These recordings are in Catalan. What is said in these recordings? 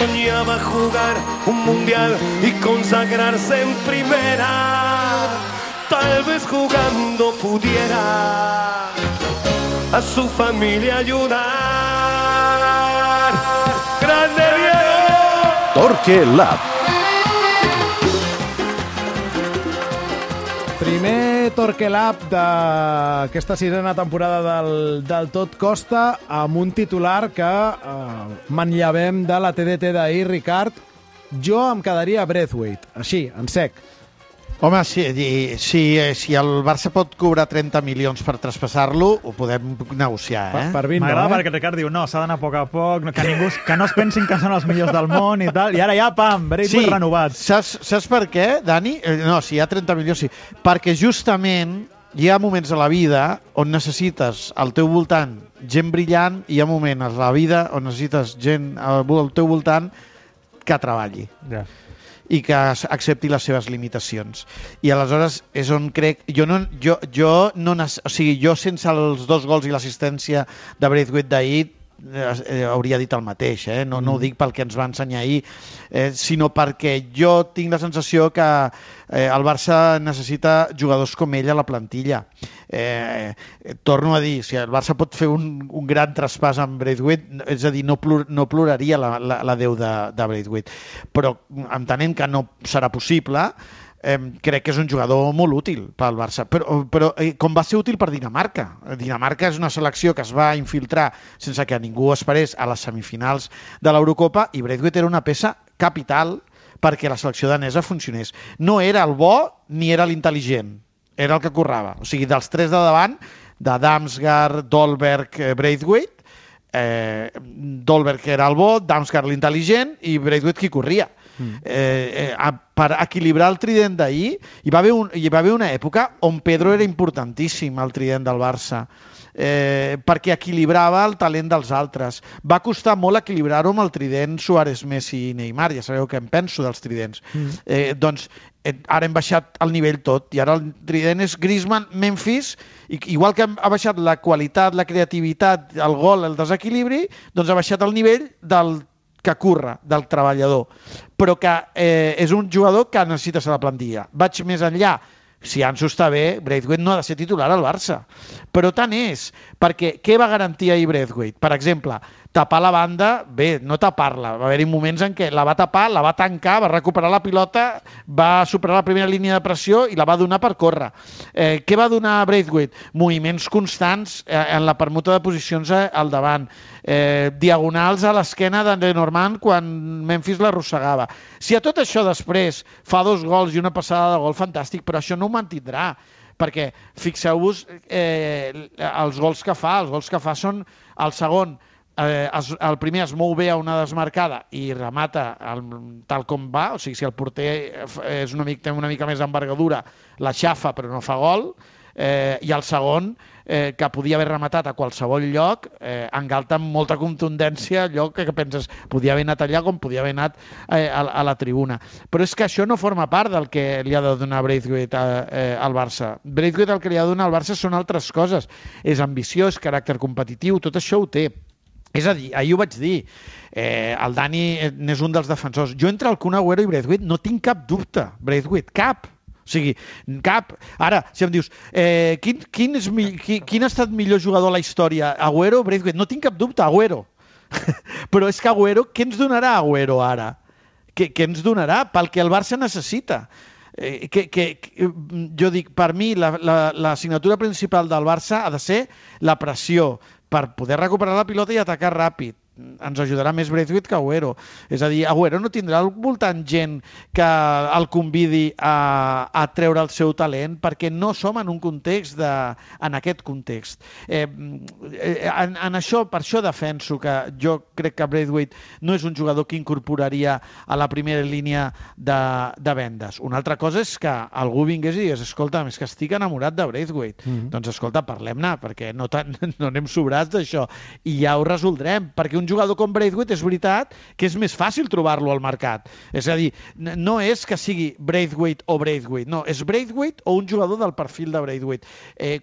soñaba jugar un mundial y consagrarse en primera. Tal vez jugando pudiera a su familia ayudar. ¡Grande Diego! Torque Lab. Primer Torque Lab d'aquesta sisena temporada del Tot Costa, amb un titular que manllevem de la TDT d'ahir, Ricard. Jo em quedaria Braithwaite, així, en sec. Home, si el Barça pot cobrar 30 milions per traspassar-lo, ho podem negociar, eh? Per 20, m'agrada perquè Ricard diu, no, s'ha d'anar a poc a poc, que no es pensin que són els millors del món i tal, i ara ja, pam, Braithwaite renovat. Saps per què, Dani? No, si hi ha 30 milions, sí. Perquè justament hi ha moments a la vida on necessites al teu voltant gent brillant i hi ha moments a la vida on necessites gent al teu voltant que treballi. Ja. I que accepti les seves limitacions. I aleshores és on crec... Jo sense els 2 gols i l'assistència de Braithwaite d'ahir hauria dit el mateix, no ho dic pel que ens va ensenyar ahir, sinó perquè jo tinc la sensació que el Barça necessita jugadors com ell a la plantilla. Torno a dir, si el Barça pot fer un gran traspàs amb Braithwaite, és a dir, no ploraria la Déu de Braithwaite, però entenent que no serà possible, crec que és un jugador molt útil pel Barça, però com va ser útil per Dinamarca. Dinamarca és una selecció que es va infiltrar sense que ningú esperés a les semifinals de l'Eurocopa i Braithwaite era una peça capital perquè la selecció danesa funcionés. No era el bo ni era l'intel·ligent, era el que currava. O sigui, dels 3 de davant, de Damsgaard, Dolberg, Braithwaite, Dolberg era el bo, Damsgaard l'intel·ligent i Braithwaite qui corria. Per equilibrar el trident d'ahir hi va haver una època on Pedro era importantíssim al trident del Barça, perquè equilibrava el talent dels altres. Va costar molt equilibrar-ho amb el trident Suárez, Messi i Neymar, ja sabeu què em penso dels tridents. Doncs ara hem baixat el nivell tot i ara el trident és Griezmann, Memphis, i igual que ha baixat la qualitat, la creativitat, el gol, el desequilibri, doncs ha baixat el nivell del que curra, del treballador, però que és un jugador que necessita ser la plantilla. Vaig més enllà. Si Ansu està bé, Braithwaite no ha de ser titular al Barça. Però tant és, perquè què va garantir ahir Braithwaite? Per exemple, tapar la banda, bé, no tapar-la. Va haver-hi moments en què la va tapar, la va tancar, va recuperar la pilota, va superar la primera línia de pressió i la va donar per córrer. Què va donar Braithwaite? Moviments constants en la permuta de posicions al davant. Diagonals a l'esquena de Lenormand quan Memphis l'arrossegava. Si a tot això després fa 2 gols i una passada de gol, fantàstic, però això no ho mantindrà, perquè fixeu-vos els gols que fa són el segon, el primer es mou bé a una desmarcada i remata tal com va, o sigui, si el porter té una mica més d'envergadura, la xafa però no fa gol, i el segon, que podia haver rematat a qualsevol lloc, engalta amb molta contundència allò que penses, podia haver anat allà com podia haver anat a la tribuna. Però és que això no forma part del que li ha de donar Braithwaite al Barça. Braithwaite el que li ha de donar al Barça són altres coses. És ambició, és caràcter competitiu, tot això ho té. És a dir, ahir ho vaig dir, el Dani n'és un dels defensors. Jo entre el Kun Agüero i Braithwaite no tinc cap dubte. Braithwaite, cap. O sigui, cap. Ara, si em dius, quin ha estat millor jugador a la història? Agüero o Braithwaite? No tinc cap dubte, Agüero. Però és que Agüero, què ens donarà Agüero ara? Què ens donarà? Pel que el Barça necessita. Jo dic, per mi, l'assignatura principal del Barça ha de ser la pressió per poder recuperar la pilota i atacar ràpid. Ens ajudarà més Braithwaite que Agüero. És a dir, Agüero no tindrà al voltant gent que el convidi a treure el seu talent perquè no som en un context en aquest context. En això, per això defenso que jo crec que Braithwaite no és un jugador que incorporaria a la primera línia de vendes. Una altra cosa és que algú vingués i digués, escolta, és que estic enamorat de Braithwaite. Doncs escolta, parlem-ne, perquè no anem sobrats d'això i ja ho resoldrem, perquè un jugador com Braithwaite és veritat que és més fàcil trobar-lo al mercat. És a dir, no és que sigui Braithwaite o Braithwaite, no, és Braithwaite o un jugador del perfil de Braithwaite.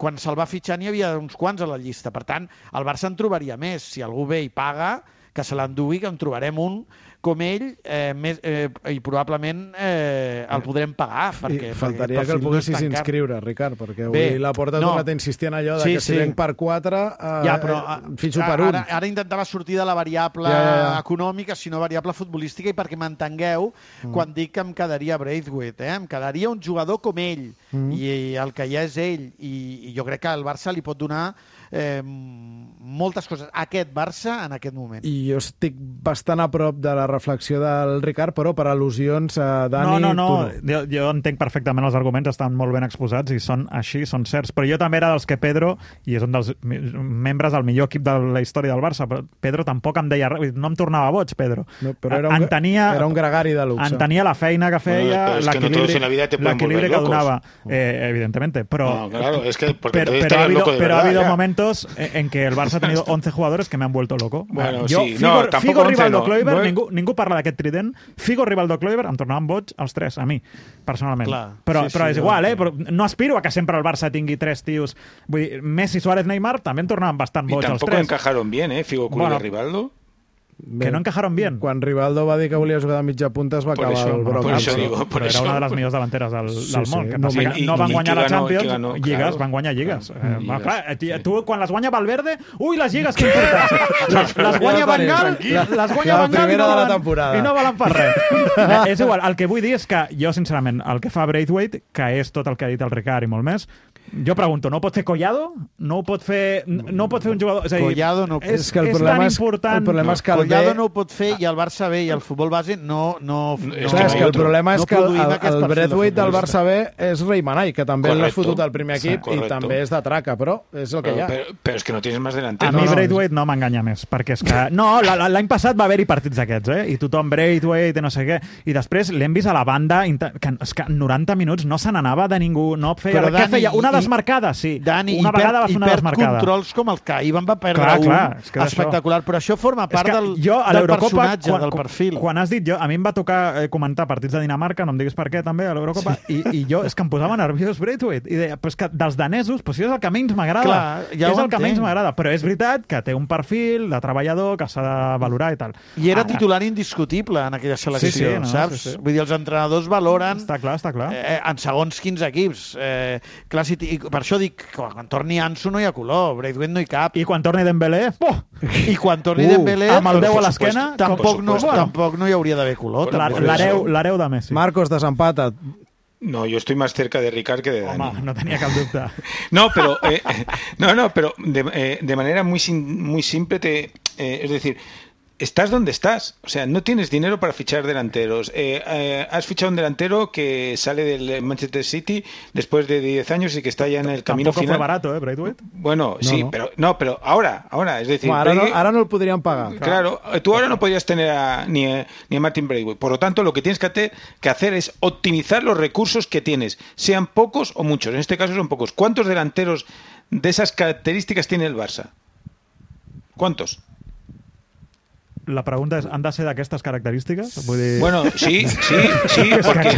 Quan se'l va fitxar n'hi havia uns quants a la llista, per tant, el Barça en trobaria més. Si algú ve i paga, que se l'endugui, que en trobarem un com ell i probablement el podrem pagar. Faltaria que el poguessis inscriure, Ricard, perquè avui la Porta ha tornat a insistir en allò de que si venc per 4, fitxo per 1. Ara intentava sortir de la variable econòmica, sinó variable futbolística, i perquè m'entengueu, quan dic que em quedaria Braithwaite, em quedaria un jugador com ell, i el que ja és ell, i jo crec que el Barça li pot donar moltes coses a aquest Barça en aquest moment. I jo estic bastant a prop de la reflexió del Ricard, però per al·lusions, Dani... No. Jo entenc perfectament els arguments, estan molt ben exposats i són així, són certs. Però jo també era dels que Pedro, i és un dels membres del millor equip de la història del Barça, però Pedro tampoc em deia res, no em tornava boig, Pedro. No, però era un gregari de luxe. Entenia la feina que feia, l'equilibri que donava, evidentemente. Pero ha habido momentos en que el Barça ha tenido 11 jugadores que me han vuelto loco. Bueno, Figo, Rivaldo, Kluivert, ningú parla d'aquest trident. Figo, Rivaldo, Kluivert, em tornaven boig els 3, a mi, personalment. Però és igual, però no aspiro a que sempre el Barça tingui 3 tios. Vull dir, Messi, Suárez, Neymar també em tornaven bastant boig els 3. I tampoc encajaron bien, Figo, Kluivert, Rivaldo. Que no encajaron bien. Quan Rivaldo va dir que volia jugar de mitja punta es va acabar el broma. Però era una de les millors davanteres del món. No van guanyar la Champions, lligues, van guanyar lligues. Tu, quan les guanya Valverde, les lligues que importants. Les guanya Van Gaal, i no valen per res. És igual, el que vull dir és que jo, sincerament, el que fa Braithwaite, que és tot el que ha dit el Ricard i molt més, jo pregunto, no ho pot fer Collado? No ho pot fer un jugador... És a dir, Collado no... És que el problema és que Collado no ho pot fer i el Barça B i el futbol base no... És que el problema és que el Braithwaite del Barça B és Rey Manay, que també l'ha fotut al primer equip i també és de traca, però és el que hi ha. Però és que no tens més delanteros. A mi Braithwaite no m'enganya més, perquè és que... No, l'any passat va haver-hi partits d'aquests, i tothom Braithwaite, no sé què, i després l'hem vist a la banda, que és que en 90 minuts no se n'anava de ningú, no feia... Què feia? Una desmarcada, sí. Dani, una vegada va fer una desmarcada. Controls com el que ahir van perdre espectacular, però això forma part del personatge, del perfil. Quan has dit, a mi em va tocar comentar partits de Dinamarca, no em diguis per què també, a l'Eurocopa, i jo és que em posava nerviós Braithwaite, i deia, però és que dels danesos, és el que menys m'agrada. És el que menys m'agrada, però és veritat que té un perfil de treballador que s'ha de valorar i tal. I era titular indiscutible en aquella selecció, saps? Vull dir, els entrenadors valoren en segons quins equips. Per això dic, quan torni Ansu no hi ha color, Braithwaite no hi cap. I quan torni Dembélé, i quan torni Dembélé, amb el 10 a l'esquena, tampoc no hi hauria d'haver color. L'hereu de Messi. Marcos, desempata. No, yo estoy más cerca de Ricard que de Dani. Home, no tenía cap dubte. Pero de manera muy simple es decir, estás donde estás. O sea, no tienes dinero para fichar delanteros. Has fichado un delantero que sale del Manchester City después de 10 años y que está ya en el camino final. Tampoco fue barato, Braithwaite. Bueno, sí, pero ahora, es decir... Bueno, ahora no lo podrían pagar. Claro, tú ahora no podrías tener ni a Martin Braithwaite. Por lo tanto, lo que tienes que hacer es optimizar los recursos que tienes, sean pocos o muchos. En este caso son pocos. ¿Cuántos delanteros de esas características tiene el Barça? ¿Cuántos? La pregunta és, han de ser d'aquestes característiques? Vull dir... Bueno, sí, porque...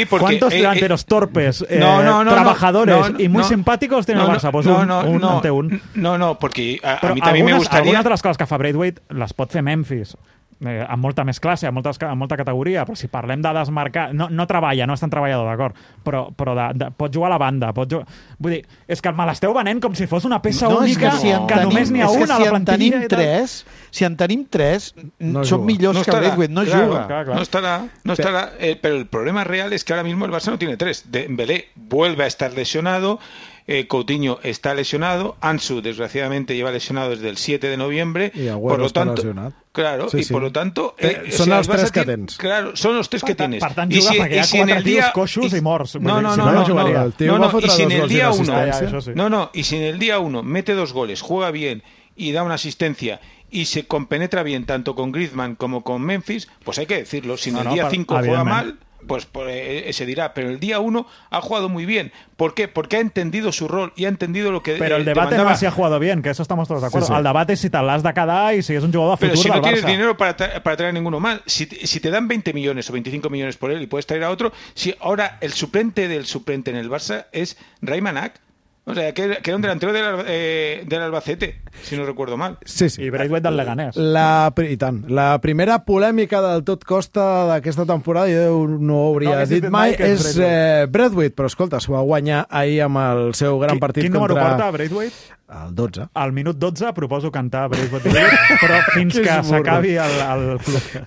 ¿Cuántos delanteros torpes, trabajadores y muy simpáticos tiene el Barça? Pues un. No, porque a mí también me gustaría... Algunes de les coses que fa Braithwaite les pot fer Memphis, amb molta més classe, amb molta categoria, però si parlem de desmarcar... No treballa, no és tan treballador, d'acord, però pot jugar a la banda, Vull dir, és que me l'esteu venent com si fos una peça única, que només n'hi ha una a la plantilla. Si en tenim 3, són millors que Braithwaite, no juga. No estará. Pero el problema real es que ahora mismo el Barça no tiene 3. Dembélé vuelve a estar lesionado, Coutinho está lesionado, Ansu desgraciadamente lleva lesionado desde el 7 de noviembre, y por lo tanto, claro, sí. Y por lo tanto son los 3 que tens. Claro, son los 3 que tienes. Per tant, juga perquè hi ha 4 tios coixos i morts. No, y si en el día 1 mete 2 goles, juega bien y da una asistencia y se compenetra bien tanto con Griezmann como con Memphis, pues hay que decirlo. Si en el día 5 juega mal, pues se dirá, pero el día 1 ha jugado muy bien. ¿Por qué? Porque ha entendido su rol y ha entendido lo que Pero el debate no es si ha jugado bien, que eso estamos todos de acuerdo. Sí. El debate es si te l'has de quedar y si es un jugador a futuro del Barça. Pero si no tienes dinero para traer ninguno mal, si te dan 20 millones o 25 millones por él y puedes traer a otro, si ahora el suplente del suplente en el Barça es Raymanak, O sea, que era un delantero del Albacete, si no recuerdo mal. Sí. I Braithwaite del Leganés. I tant. La primera polèmica del tot costa d'aquesta temporada, jo no ho hauria dit mai, és Braithwaite, però escolta, s'ho va guanyar ahir amb el seu gran partit contra... Quin número porta Braithwaite? El 12. Al minut 12 proposo cantar Braithwaite, però fins que s'acabi el club.